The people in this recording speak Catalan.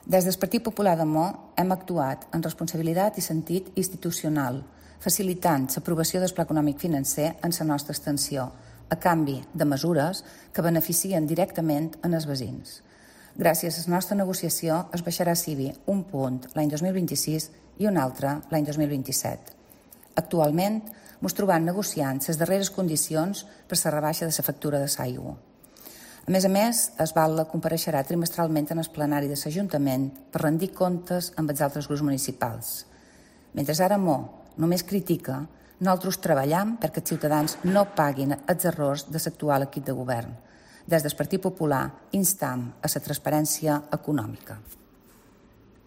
Des del Partit Popular de Mo hem actuat en responsabilitat i sentit institucional, facilitant l'aprovació del Pla Econòmic Financer en la nostra extensió, a canvi de mesures que beneficien directament en els veïns. Gràcies a la nostra negociació es baixarà CIBI un punt l'any 2026 i un altre l'any 2027. Actualment, ens trobem negociant les darreres condicions per la rebaixa de la factura de l'aigua. A més, es Batlle compareixerà trimestralment en el plenari de l'Ajuntament per rendir comptes amb els altres grups municipals. Mentre ara Mo només critica, nosaltres treballem perquè els ciutadans no paguin els errors de l'actual equip de govern. Des del Partit Popular instam a la transparència econòmica.